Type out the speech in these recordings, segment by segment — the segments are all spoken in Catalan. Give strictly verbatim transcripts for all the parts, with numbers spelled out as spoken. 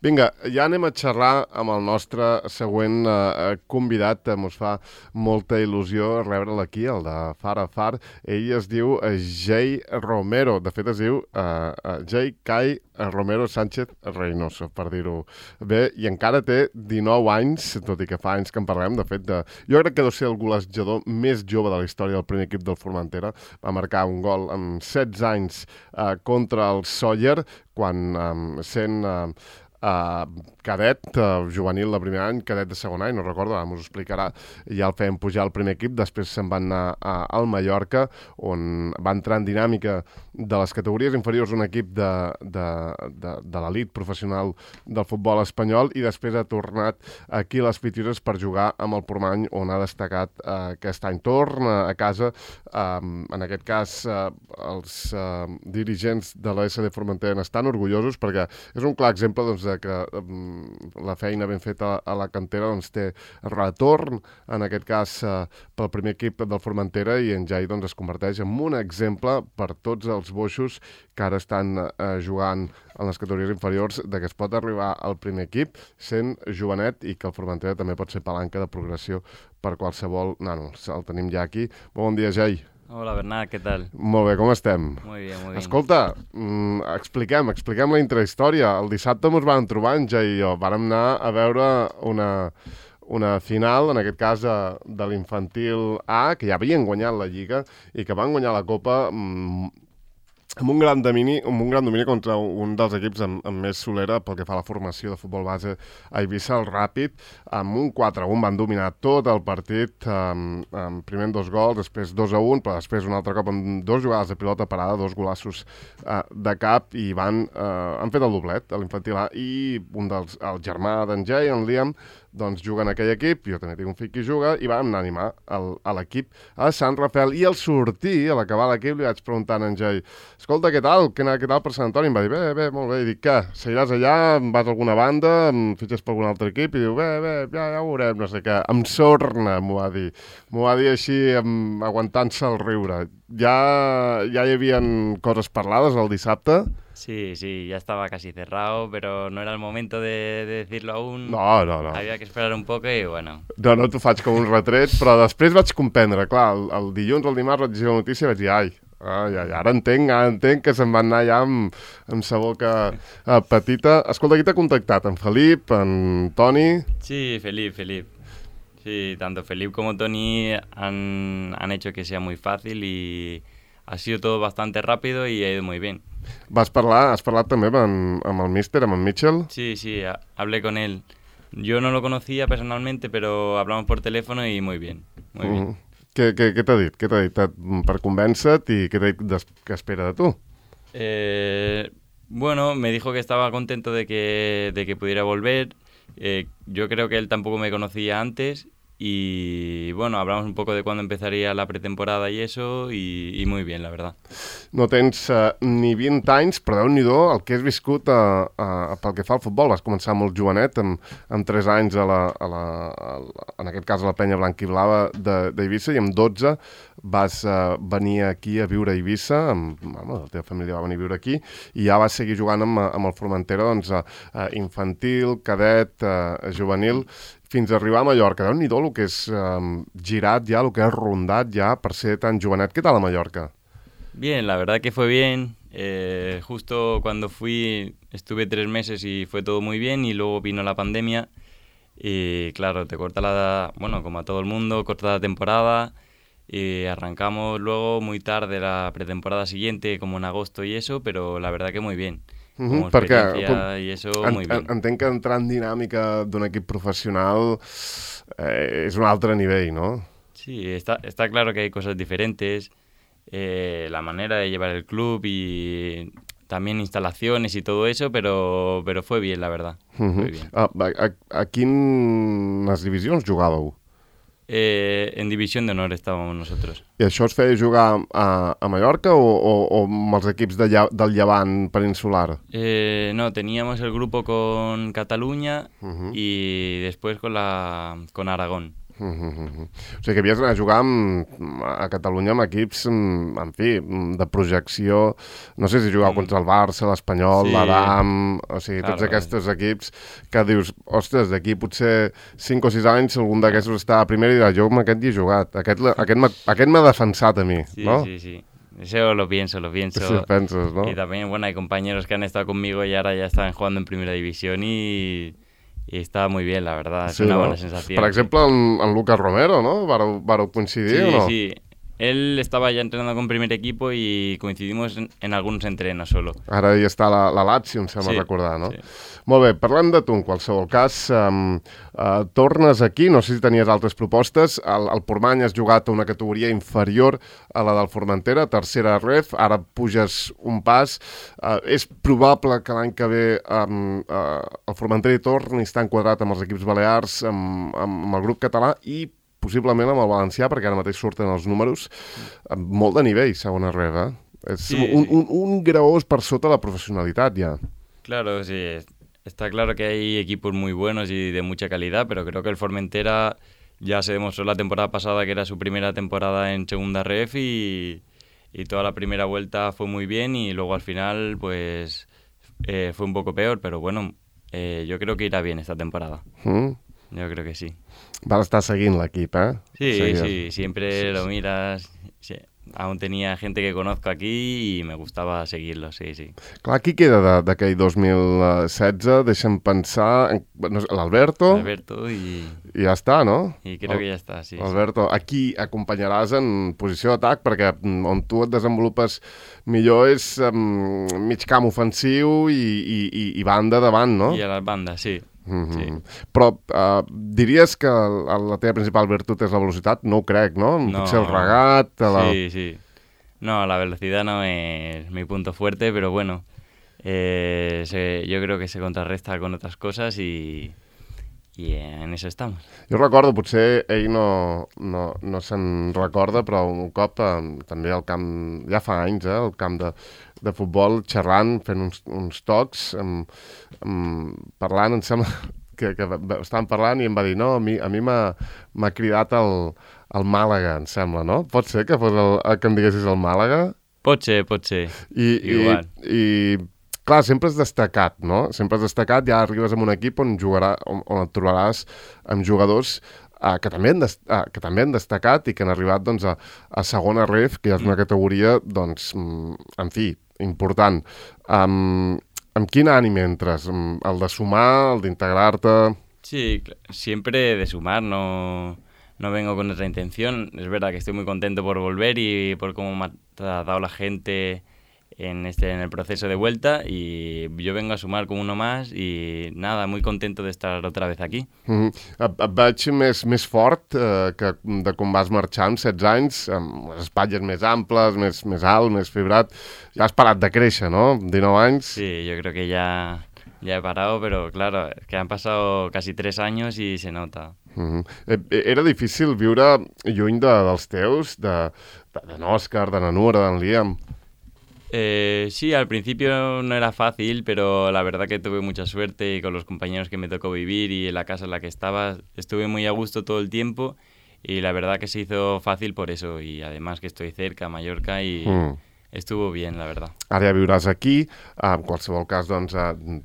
Vinga, ja anem a xerrar amb el nostre següent eh, convidat. Ens fa molta il·lusió rebre'l aquí, el de Far a Far. Ell es diu eh, Jay Romero. De fet, es diu eh, eh, Jay Kai Romero Sánchez Reynoso, per dir-ho bé, i encara té dinou anys, tot i que fa anys que en parlem. De fet, de... jo crec que deu ser el golejador més jove de la història del primer equip del Formentera. Va marcar un gol amb setze anys eh, contra el Sóller, quan eh, sent eh, Uh, cadet, uh, juvenil de primer any, cadet de segon any, no recordo, ara m'ho explicarà, ja el feien pujar al primer equip, després se'n van anar a, al Mallorca, on va entrar en dinàmica de les categories inferiors un equip de, de, de, de l'elit professional del futbol espanyol, i després ha tornat aquí a les Pitxures per jugar amb el Portmany, on ha destacat uh, aquest any. Torna a casa, um, en aquest cas uh, els uh, dirigents de la essa de Formentera n'estan orgullosos, perquè és un clar exemple, doncs, de que um, la feina ben feta a la cantera doncs, té retorn, en aquest cas uh, pel primer equip del Formentera, i en Jai doncs, es converteix en un exemple per tots els boixos que ara estan uh, jugant en les categories inferiors, de que es pot arribar al primer equip sent jovenet, i que el Formentera també pot ser palanca de progressió per qualsevol nano. El tenim ja aquí. Bon dia, Jai. Hola, Bernat, què tal? Molt bé, com estem? Muy bien, muy bien. Escolta, mm, expliquem, expliquem la intrahistòria. El dissabte ens vam trobar, en Jai i jo. Vàrem anar a veure una, una final, en aquest cas de l'infantil A, que ja havien guanyat la Lliga i que van guanyar la Copa mm, amb un gran domini, amb un gran domini contra un dels equips amb, amb més solera pel que fa a la formació de futbol base a Eivissa, el Ràpid, amb un quatre a un van dominar tot el partit, amb, amb primer dos gols, després dos a un, però després un altre cop amb dos jugades de pilota parada, dos golassos uh, de cap, i van, uh, han fet el doblet a l'infantil A, i un dels, el germà d'en Jay, en Liam, doncs juga en aquell equip, jo també tinc un fill que juga, i vam anar a animar el, a l'equip a Sant Rafael, i al sortir, a l'acabar l'equip, li vaig preguntar a en Jai, escolta, què tal? Què, què tal per Sant Antoni? Em va dir, bé, bé, molt bé. I dic, què? Seguiràs allà, vas a alguna banda, em fitxes per algun altre equip? I diu, bé, bé, ja, ja ho veurem, no sé què. Em sorna, m'ho va dir. M'ho va dir així, amb, aguantant-se el riure. Ja, ja hi havia coses parlades el dissabte? Sí, sí, ya estaba casi cerrado, pero no era el momento de, de decirlo aún. No, no, no. Había que esperar un poco i bueno. No, no t'ho faig com un retret, però després vaig comprendre, clar, el, el dilluns o el dimarts vaig dir la notícia i vaig dir, ai, ai, ai, ara entenc, ara entenc que se'n van anar ja amb, amb sa boca eh, petita. Escolta, qui t'ha contactat? En Felip, en Toni? Sí, Felip, Felip. Sí, tanto Felip como Toni han, han hecho que sea muy fácil y ha sido todo bastante rápido y ha ido muy bien. Vas parlar, has parlat també amb, amb el míster, amb en Mitchell? Sí, sí, a, hablé con él. Yo no lo conocía personalmente, pero hablamos por teléfono y muy bien, muy bien. Mm. Què, què, què t'ha dit? Què t'ha dit per convèncer-te i què t'ha dit des, que espera de tu? Eh, bueno, me dijo que estaba contento de que, de que pudiera volver. Eh, yo creo que él tampoco me conocía antes. Y bueno, hablamos un poco de cuándo empezaría la pretemporada y eso, y, y muy bien, la verdad. No tens uh, ni vint anys, però Déu-n'hi-do el que has viscut uh, uh, pel que fa al futbol. Vas començar molt jovenet, amb, amb tres anys, a la, a la, a la, en aquest cas a la penya blanca i blava d'Eivissa, i amb dotze vas uh, venir aquí a viure a Eivissa, amb, amb la teva família va venir a viure aquí, i ja vas seguir jugant amb, amb el Formentera, doncs, uh, uh, infantil, cadet, uh, juvenil, fins a arribar a Mallorca. Déu-n'hi-do el que és um, girat ja, el que és rondat ja per ser tan jovenet. ¿Qué tal a Mallorca? Bien, la verdad que fue bien. Eh, justo cuando fui estuve tres meses y fue todo muy bien, y luego vino la pandemia y claro, te corta la... Bueno, como a todo el mundo, corta la temporada y arrancamos luego muy tarde la pretemporada siguiente, como en agosto y eso, pero la verdad que muy bien. Uh-huh, perquè com, i eso, en, muy bien. Entenc que entrar en dinàmica d'un equip professional eh, és un altre nivell, ¿no? Sí, está, está claro que hay cosas diferentes, eh, la manera de llevar el club y también instalaciones y todo eso, pero, pero fue bien, la verdad. Uh-huh. Fue bien. A, a, a quines divisions jugàveu? Eh, en División de Honor estábamos nosotros. I això es feia jugar a, a Mallorca o, o, o amb els equips de lla, del Llevant peninsular? Eh, no, teníamos el grupo con Cataluña uh-huh. y después con, la, con Aragón. Mm -hmm. O sigui que havies d'anar a jugar amb, a Catalunya amb equips, en fi, de projecció. No sé si jugava mm. contra el Barça, l'Espanyol, sí. l'Adam, o sigui, claro, tots aquests equips que dius, ostres, d'aquí potser cinc o sis anys algun d'aquests està a primera i dirà, jo amb aquest hi he jugat, aquest, aquest, aquest m'ha defensat a mi, sí, ¿no? Sí, sí, eso lo pienso, lo pienso. Sí, penses, ¿no? Y también, bueno, hay compañeros que han estado conmigo y ahora ya están jugando en primera división y... I estava muy bien, la verdad, es sí, una no? buena sensación. Per exemple, en, en Lucas Romero, ¿no? ¿Vareu, vareu coincidir sí, o no? Sí, sí. Él estaba ya entrenando con primer equipo y coincidimos en, en algunos entrenos solo. Ara hi està la, la Lazio, em sembla sí, recordar, no? Sí. Molt bé, parlem de tu, en qualsevol cas. Um, uh, tornes aquí, no sé si tenies altres propostes. El, el Portmany has jugat a una categoria inferior a la del Formentera, tercera ref, ara puges un pas. Uh, és probable que l'any que ve um, uh, el Formentera hi torni a estar enquadrat amb els equips balears, amb, amb el grup català i possiblement amb el valencià, perquè ara mateix surten els números, amb molt de nivell, segona ref, eh? És sí, un, un, un graó per sota la professionalitat, ja. Claro, sí. Está claro que hay equipos muy buenos y de mucha calidad, pero creo que el Formentera ya se demostró la temporada pasada que era su primera temporada en segunda ref y, y toda la primera vuelta fue muy bien y luego al final pues eh, fue un poco peor, pero bueno, eh, yo creo que irá bien esta temporada. Mm. Yo creo que sí. Vas estar seguint l'equip, eh? Sí, Seguies. sí, siempre sí, lo miras. Sí. Aún tenía gente que conozco aquí y me gustaba seguirlo, sí, sí. Clar, qui queda d'aquell dos mil setze? Deixa'm pensar... No sé, l'Alberto? L'Alberto i... I ja està, no? I crec que ja està, sí. Alberto, sí. Aquí acompanyaràs en posició d'atac perquè on tu et desenvolupes millor és um, mig camp ofensiu i, i, i, i banda davant, no? I a les bandes, sí. Mm-hmm. Sí. Però uh, diries que la, la teva principal virtut és la velocitat? No ho crec, no? no Potser el regat... La... Sí, sí. No, la velocidad no es mi punto fuerte, pero bueno, eh, se, yo creo que se contrarresta con otras cosas y, y en eso estamos. Jo recordo, potser ell no, no, no se'n recorda, però un cop eh, també al camp, ja fa anys, eh, al camp de, de futbol, xerrant, fent uns, uns tocs, amb, amb, parlant, em sembla que, que estàvem parlant i em va dir, no, a mi, a mi m'ha cridat el, el Màlaga, em sembla, no? Pot ser que fos el, el que em diguessis el Màlaga? Pot ser, pot ser. I, Igual. I, i clar, sempre has destacat, no? Sempre has destacat, ja arribes a un equip on, jugarà, on, on et trobaràs amb jugadors uh, que, també han uh, que també han destacat i que han arribat doncs, a, a segona ref, que ja és una categoria, doncs, en fi, important. Um, amb quin ànim entres? El de sumar, el d'integrar-te? Sí, siempre de sumar, no... No vengo con otra intención. Es verdad que estoy muy contento por volver y por cómo me ha tratado la gente en, este, en el proceso de vuelta y yo vengo a sumar como uno más y nada, muy contento de estar otra vez aquí. Mm-hmm. Et, et veig més, més fort eh, que de com vas marxar amb setze anys, amb les espatlles més amples, més, més alt, més fibrat. Ja has parat de créixer, no? dinou anys. Sí, yo creo que ya... Ya he parado, pero claro, es que han pasado casi tres años y se nota. Mm-hmm. Era difícil viure lluny de, dels teus, de, de, de n'Òscar, de na Nura, d'en Liam? Eh, sí, al principio no era fácil, pero la verdad que tuve mucha suerte y con los compañeros que me tocó vivir y en la casa en la que estaba, estuve muy a gusto todo el tiempo y la verdad que se hizo fácil por eso y además que estoy cerca, a Mallorca y... Mm. Estuvo bien, la verdad. Ara ja viuràs aquí, en qualsevol cas doncs,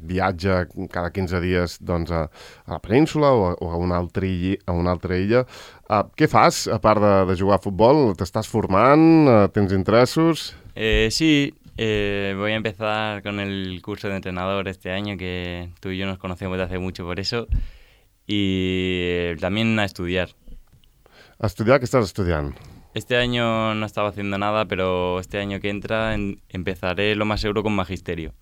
viatja cada quinze dies doncs, a, a la península o a, o a, una altra illa, a una altra illa. Uh, què fas, a part de, de jugar a futbol? T'estàs formant? Uh, tens interessos? Eh, sí, eh, voy a empezar con el curso de entrenador este año, que tú y yo nos conocemos desde hace mucho por eso, y también a estudiar. A estudiar? Què estàs estudiant? Este año no estaba haciendo nada, pero este año que entra en, empezaré lo más seguro con magisterio.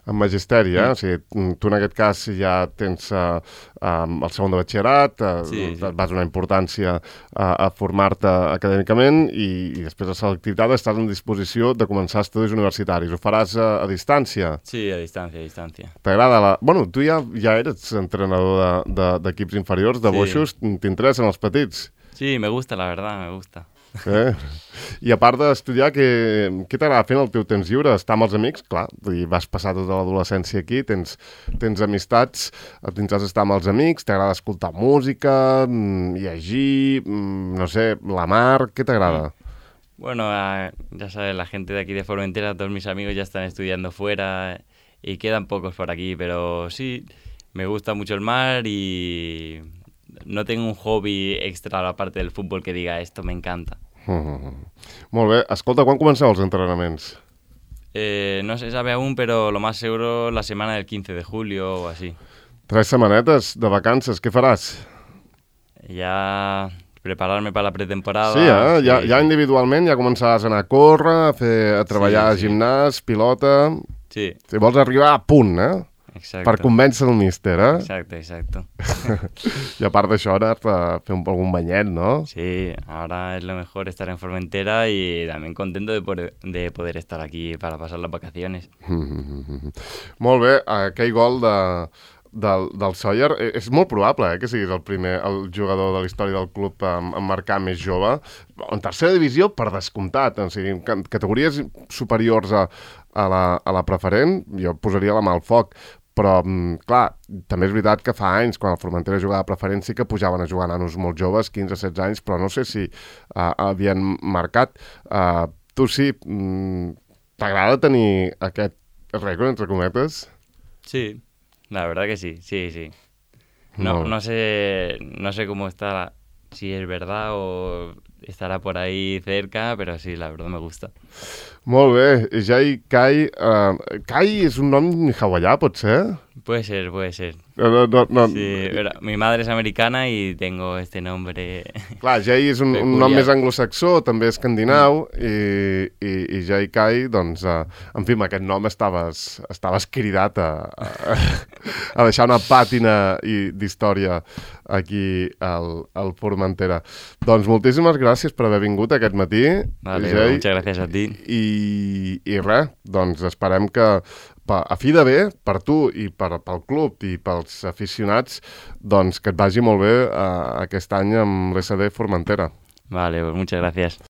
En magisteri, eh? Mm. O sigui, tu en aquest cas ja tens uh, um, el segon de batxillerat, uh, sí, sí. vas donar importància a, a formar-te acadèmicament i, i després de selectivitat estàs en disposició de començar estudis universitaris. Ho faràs a, a distància? Sí, a distància, a distància. T'agrada la... Bueno, tu ja, ja eres entrenador d'equips de, de, inferiors, de sí. boixos, t'interessen els petits? Sí, me gusta, la verdad, me gusta. Eh? I a part d'estudiar, què, què t'agrada fer en el teu temps lliure? Estar amb els amics? Clar, vull dir, vas passar tota l'adolescència aquí, tens, tens amistats, tindràs d'estar amb els amics, t'agrada escoltar música, llegir, no sé, la mar, què t'agrada? Bueno, uh, ya sabes, la gente de aquí de Formentera, todos mis amigos ya están estudiando fuera y quedan pocos por aquí, pero sí, me gusta mucho el mar y no tengo un hobby extra a la parte del fútbol que diga esto me encanta. Mm-hmm. Molt bé. Escolta, quan comenceu els entrenaments? Eh, no se sabe aún, pero lo más seguro la semana del quince de julio o así. Tres setmanetes de vacances, què faràs? Ya prepararme para la pretemporada. Sí, eh? Sí, Ja, sí. ja individualment ja començaràs a anar a córrer, a, fer, a treballar Sí, sí. a gimnàs, pilota... Sí, Si vols arribar a punt, eh? exacto. Per convèncer el míster, eh? Exacto, exacto. I a part d'això, anar a fer un, algun banyet, no? Sí, ahora es lo mejor estar en Formentera y también contento de poder, de poder estar aquí para pasar las vacaciones. Molt bé, aquell gol de, del, del Sawyer, eh, és molt probable eh, que siguis el primer el jugador de la història del club en, en marcar més jove. En tercera divisió, per descomptat, o sigui, en categories superiors a, a, la, a la preferent, jo posaria la mà al foc. Però, clar, també és veritat que fa anys, quan el Formentera jugava a preferent, sí que pujaven a jugar nanos molt joves, quinze setze anys, però no sé si uh, havien marcat. Uh, tu sí, t'agrada tenir aquest rècord, entre cometes? Sí, la verdad que sí, sí, sí. No, No. no sé, no sé cómo está, si es verdad o estará por ahí cerca, pero sí, la verdad me gusta. Molt bé, Jai Kai. Uh, Kai és un nom hawaià, pot ser? Puede ser, puede ser. No, no, no. Sí, pero mi madre es americana y tengo este nombre. Clar, Jai és un, un nom més anglosaxó, també escandinau, mm. i, i, i Jai Kai, doncs, uh, en fi, amb aquest nom estaves, estaves cridat a, a, a deixar una pàtina i- d'història aquí al, al Formentera. Doncs moltíssimes gràcies per haver vingut aquest matí, Vale, Jai. muchas gracias a ti. I, i res, doncs esperem que pa, a fi de bé, per tu i per, pel club i pels aficionats, doncs que et vagi molt bé uh, aquest any amb l'S D Formentera. Vale, pues muchas gracias.